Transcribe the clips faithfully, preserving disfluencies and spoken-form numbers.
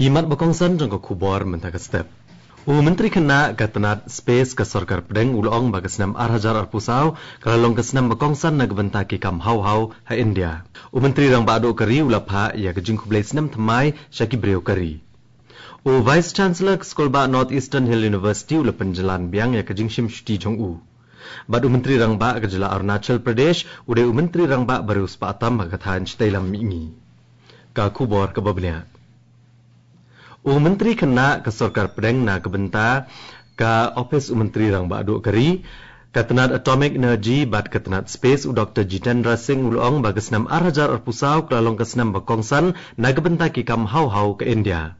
Ki mat ba kongsan jong ka khubor mynta ka step. U Myntri Khynnah ka tnat Space ka Sorkar Pdeng u la ong ba ka snem ar hajar arphew saw ka la long ka snem ba kongsan na ka bynta ki kam haw haw ha India. U Myntri Rangbah Duh ka ri u la phah ïa ka jingkhublei snem thymmai sha ki briew ka ri. U Vice Chancellor ka Skulbah North Eastern Hill University u la pynjlan biang ïa ka jingshim shuti jong u. Bad u Myntri Rangbah ka jylla Arunachal Pradesh u dei u Myntri Rangbah ba riewspah tam ha ka thaiñ Shatei Lam Mihngi. Ka khubor kaba bniah. U Myntri Khynnah ka Sorkar Pdeng na ka bynta ka Ophis u Myntri Rangbah Duh ka ri, ka tnat Atomic Energy bad ka tnat Space u Doktor Jitendra Singh u la ong ba ka snem ar hajar arphew saw ka la long ka snem ba kongsan na ka bynta ki kam haw haw ka India.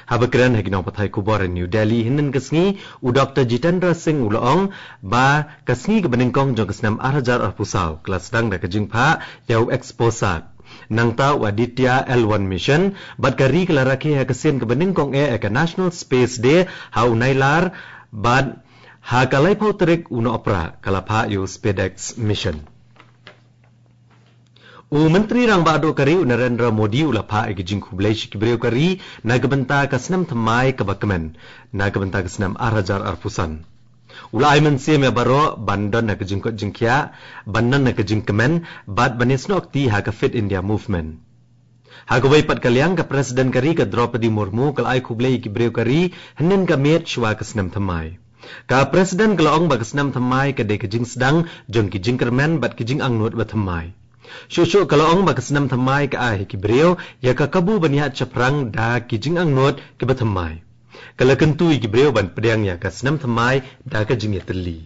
Haba kren ha ki nongpathai khubor ha New Delhi hynnin ka sngi, u Doktor Jitendra Singh u la ong ba ka sngi kaba nyngkong jong ka snem ar hajar arphew saw ka la sdang da ka jingphah ïa u Exposat. Nangta u Aditya L one Mission bad ka ri ka la rakhe ha ka sien kaba nyngkong eh ïa ka National Space Day ha u Nailar bad ha ka laiphew tarik u Nohprah ka la phah ïa u SpadeX Mission. U Myntri Rangbah Duh ka ri u Narendra Modi u la phah ïa ka jingkhublei sha ki briew ka ri na ka bynta ka snem thymmai kaba kmen na ka bynta ka snem ar hajar arphew san. U la ai mynsiem ïa baroh ban don ha ka jingkoit jingkhiah, ban don ha ka jingkmen bad ban ïasnoh kti ha ka Fit India Movement. Ha kawei pat ka liang ka President ka ri ka Droupadi Murmu ka la ai khublei ïa ki briew ka ri hynnin ka miet shuwa ka snem thymmai. Ka President ka la ong ba ka snem thymmai ka dei ka jingsdang jong ki jingkyrmen bad ki jingangnud ba thymmai. Shuh shuh ka la ong ba ka snem thymmai ka ai ha ki briew ïa ka kabu ban ïaid shaphrang da ki jingangnud kiba thymmai. Ka la kyntu ïa ki briew ban pdiang ïa ka snem thymmai da ka jingïatylli.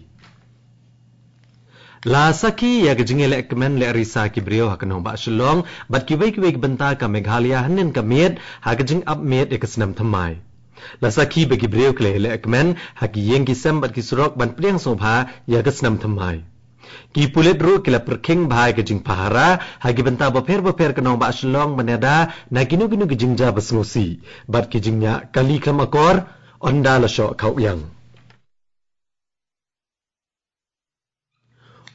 La sakhi ïa ka jingïalehkmen lehrisa ki briew ha ka nongbah Shillong bad kiwei kiwei ki bynta ka Meghalaya hynnin ka miet ha ka jingap miet ïa ka snem thymmai. La sakhi ba ki briew ki la ïalehkmen ha ki ïing ki sem bad ki surok ban pdiang sngewbha ïa ka snem thymmai. Ki pulit ruh ki la pyrkhing bha ïa ka jingpahara ha ki bynta bapher bapher ka nongbah Shillong ban ïada na kino kino ki jingjia ba sngewsih bad ki jingñiah kali khlem akor ynda la shoh khaw ïang.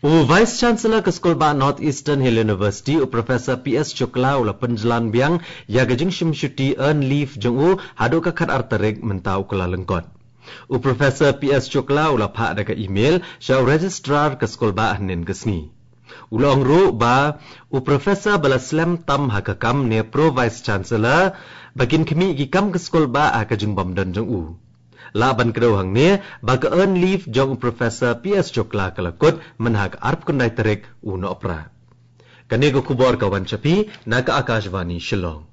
U Vice Chancellor ka Skulbah North Eastern Hill University u Professor P S Shukla u la pynjlan biang ïa ka jingshim shuti earned leave jong u haduh ka khatar tarik mynta u Kyllalyngkot. U Professor P S Shukla u la phah da ka email sha u Registrar ka Skulbah hynnin ka sngi. U la ong ruh ba u Professor ba la slem tam ha ka kam ne Pro Vice Chancellor ba kin khmih ki kam ka Skulbah ha ka jingbym don jong u. Lah ban kdew hangne ba ka earned leave jong u Professor P S Shukla ka la kut mynha ka arphew khyndai tarik u Nohprah. Kane ka khubor ka wan sha phi na ka Akashvani Shillong.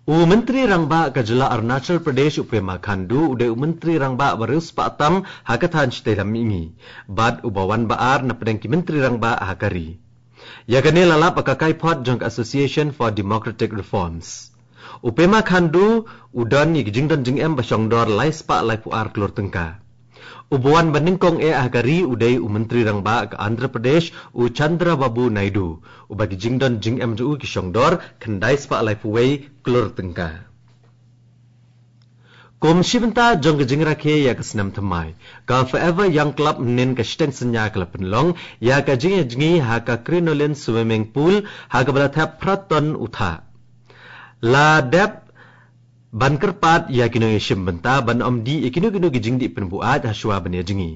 U Myntri Rangbah ka jylla Arunachal Pradesh u Pema Khandu u dei u Myntri Rangbah ba riewspah tam ha ka thaiñ Shatei Lam Mihngi bad uba wan ba ar na pdeng ki Myntri Rangbah ha ka ri. Ïa kane la lap ha ka kaiphod jong ka Association for Democratic Reforms. U Pema Khandu u don ïa ki jingdon jingem ba shong dor lai spah laiphew ar klur tyngka. Uba wan ba nyngkong eh ha ka ri u dei u Myntri Rangbah ka Andhra Pradesh u Chandrababu Naidu, uba ki jingdon jingem jong u ki shong dor khyndai spah laiphew wei klur tyngka. Kum shi bynta jong ka jingrakhe ïa ka snem thymmai, ka Forever Young Club mynnin ka shiteng synñia ka la pynlong ïa ka jingïajngi ha ka Crinoline Swimming Pool ha kaba la thep phra ton u thah. La dep ban kyrpad ïa ki nongïashim bynta ban ym dih ïa kino kino ki jingdih pynbuaid ha shuwa ban ïajngi.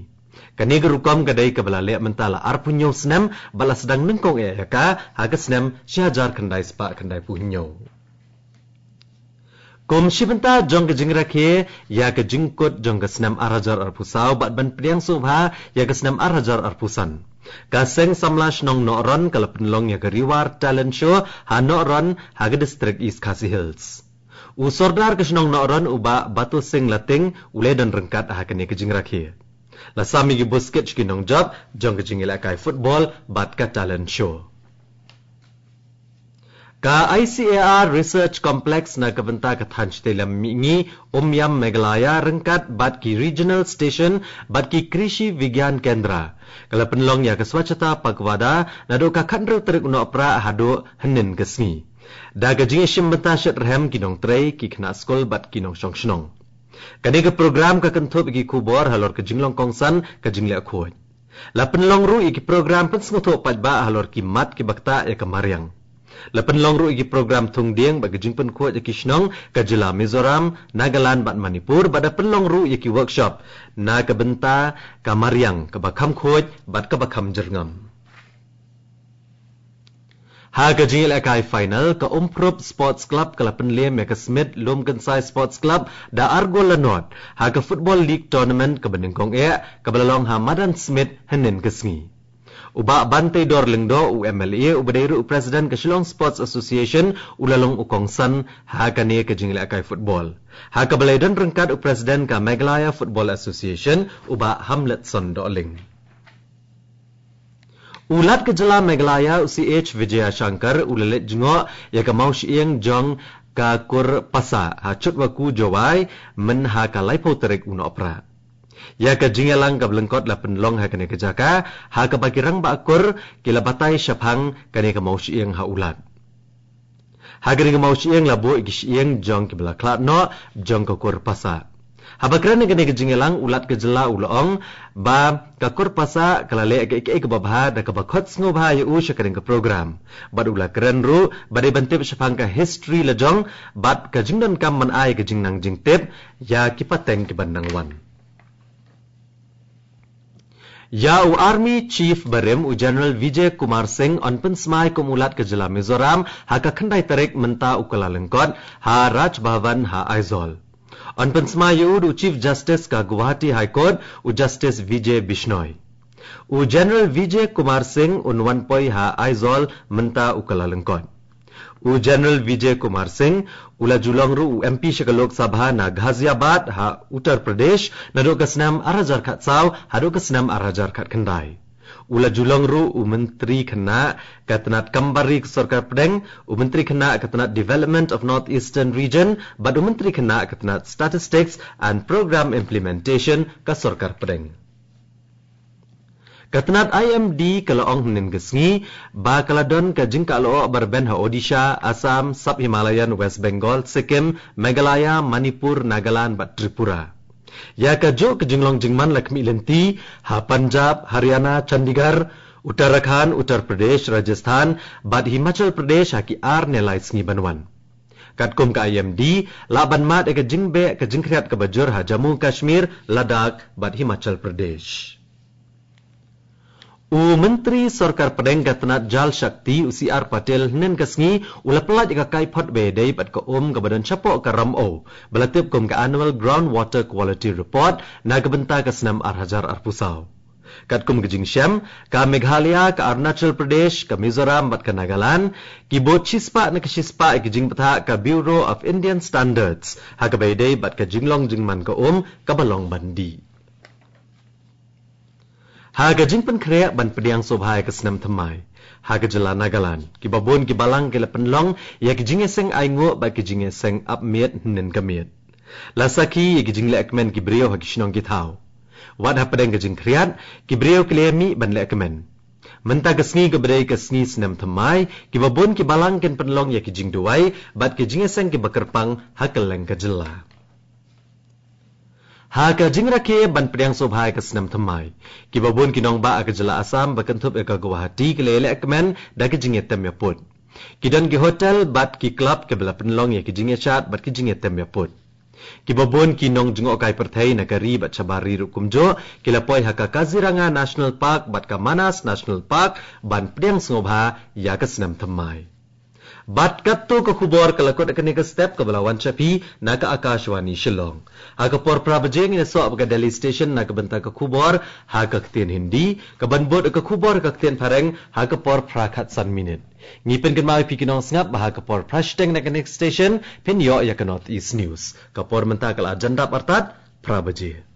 Kane ka rukom ka dei kaba la leh mynta la arphew hynñiew snem bad la sdang nyngkong eh ïa ka ha ka snem shi hajar khyndai spah khyndai phew hynñiew. Kum shi bynta jong ka jingrakhe ïa ka jingkut jong ka snem ar hajar arphew saw bad ban pdiang sngewbha ïa ka snem ar hajar arphew san, ka Seng Samla Shnong Nohron ka la pynlong ïa ka Riwar Talent Show ha Nohron ha ka District East Khasi Hills. U Sordar ka shnong Nohron u Bah Batu Singh Lating u la don ryngkat ha kane ka jingrakhe. La sam ïa ki buskit sha ki nongjop jong ka jingïalehkai football bad ka talent show. Ka I C A R Research Complex na ka bynta ka thaiñ Shatei Lam Mihngi, Umiam, Meghalaya ryngkat bad ki Regional Station bad ki Krishi Vigyan Kendra ka la pynlong ïa ka Swachhata Pakhwada naduh ka khathynriew tarik u Nohprah haduh hynnin ka sngi, da ka jingïashim bynta shitrhem ki nongtrei, ki khynnah skul bad ki nongshong shnong. Kane ka program ka kynthup ïa ki khubor halor ka jinglong kongsan ka jingleh khuid. La pynlong ruh ïa ki program pynsngewthuh paidbah halor ki mat kiba ktah ïa ka mariang. La pynlong ruh ïa ki program thung dieng bad ka jingpynkhuid ïa ki shnong ka jylla Mizoram, Nagaland bad Manipur, bad la pynlong ruh ïa ki workshop na ka bynta ka mariang kaba kham khuid bad kaba kham jyrngam. Ha ka jingïalehkai final, ka Umphrup Sports Club ka la pynlem ïa ka Smit Lumkynsai Sports Club da ar gol la nod ha ka Football League Tournament kaba nyngkong eh kaba la long ha Madan Smit hynnin ka sngi. U Bah Banteidor Lyngdoh, u M L A uba dei ruh u President ka Shillong Sports Association, u la long u kongsan ha kane ka jingïalehkai football, ha kaba la ïadon ryngkat u President ka Meghalaya Football Association, u Bah Hamletson Dohling. U Lat ka jylla Meghalaya, u C H Vijayashankar, u la leit jngoh ïa ka mawshyieng jong ka Kur Pasa ha Chutwakhu, Jowai, myn ha ka laiphew tarik u Nohprah. Ïa ka jingïalang kaba lyngkot la pynlong ha kane ka jaka, ha kaba ki rangbah Kur ki la batai shaphang kane ka mawshyieng ha U Lat. Ha kane ka mawshyieng la buh ïa ki shyieng jong kiba la khlad noh jong ka Kur Pasa. Haba kren ha kane ka jingïalang, u Lat ka jylla u la ong ba ka Kur Pasa ka la leh kaei kaei kaba bha da kaba khot sngewbha ïa u sha kane ka program. Bad u la kren ruh ba dei ban tip shaphang ka history la jong bad ka jingdonkam ban ai ka jingnang jingtip ïa ki pateng kiban nang wan. Ïa u Army Chief barim, u General Vijay Kumar Singh, yn pynsmai kum u Lat ka jylla Mizoram ha ka khyndai tarik mynta u Kyllalyngkot ha Raj Bhavan ha Aizawl. Yn pynsmai ïa u da u Chief Justice ka Guwahati High Court, u Justice Vijay Bishnoi. U General Vijay Kumar Singh un wan poi ha Aizawl mynta u Kyllalyngkot. U General Vijay Kumar Singh u la ju long ruh u M P sha ka Lok Sabha na Ghaziabad ha Uttar Pradesh naduh ka snem ar hajar khatsaw haduh ka snem ar hajar khatkhyndai. U la ju long ruh u Myntri Khynnah ka tnat kam bar ri ka Sorkar Pdeng, u Myntri Khynnah ka tnat Development of North Eastern Region bad u Myntri Khynnah ka tnat Statistics and Program Implementation ka Sorkar Pdeng. Ka tnat I M D ka la ong hynnin ka sngi ba ka la don ka jingkah lyoh ba rben ha Odisha, Assam, Sub Himalayan, West Bengal, Sikkim, Meghalaya, Manipur, Nagaland bad Tripura. Ïa kajuh ka jinglong jingman la khmih lynti ha Punjab, Haryana, Chandigarh, Uttarakhand, Uttar Pradesh, Rajasthan bad Himachal Pradesh ha ki ar ne lai sngi ban wan. Katkum ka I M D, lah ban mad ïa ka jingbeh ka jingkhriat kaba jur ha Jammu Kashmir, Ladakh bad Himachal Pradesh. U Myntri Sorkar Pdeng ka tnat Jal Shakti, u C R Patil, hynnin ka sngi u la pyllait ïa ka kaiphod ba ïadei bad ka um kaba don shapoh ka Ramew ba la tip kum ka Annual Ground Water Quality Report na ka bynta ka snem ar hajar arphew saw. Katkum ka jingshem, ka Meghalaya, ka Arunachal Pradesh, ka Mizoram bad ka Nagaland ki bud shispah na ka shispah ïa ka jingbthah ka Bureau of Indian Standards ha kaba ïadei bad ka jinglong jingman ka um kaba long ban dih. Ha ka jingpynkhreh ban pdiang sngewbha ïa ka snem thymmai ha ka jylla Nagaland, kiba bun ki balang ki la pynlong ïa ki jingïaseng ainguh bad ki jingïaseng ap miet hynnin ka miet. La sakhi ïa ki jingleh kmen ki briew ha ki shnong ki thaw. Wat hapdeng ka jingkhriat, ki briew ki la ïamih ban leh kmen. Mynta ka sngi kaba dei ka sngi snem thymmai, kiba bun ki balang kin pynlong ïa ki jingduwai bad ki jingïaseng kiba kyrpang ha kylleng ka jylla. Ha ka jingrakhe ban pdiang sngewbha ïa ka snem thymmai, kiba bun ki nongbah ha ka jylla Assam ba kynthup ïa ka Guwahati ki la ïaleh kmen da ki jingïatem ïaput. Ki don ki hotel bad ki club kiba la pynlong ïa ki jingïashad bad ki jingïatem ïaput. Kiba bun ki nongjngohkai pyrthei na ka ri bad shabar ri ruh kumjuh ki la poi ha ka Kaziranga National Park bad ka Manas National Park ban pdiang sngewbha ïa ka snem thymmai. Bad katto ka khubor ka la kut ha kane ka step kaba la wan sha phi na ka Akashvani Shillong. Ha ka por phra baje ngin ïasoh bad ka Delhi Station na ka bynta ka khubor ha ka ktien Hindi, kaban bud ka khubor ha ka ktien Phareng ha ka por phra khatsan minit. Ngi pynkynmaw ïa phi ki nongsngap ba ha ka por phra shiteng na kane ka station phin ïoh ïa ka North East News. Ka por mynta ka la jan dap artat phra baje.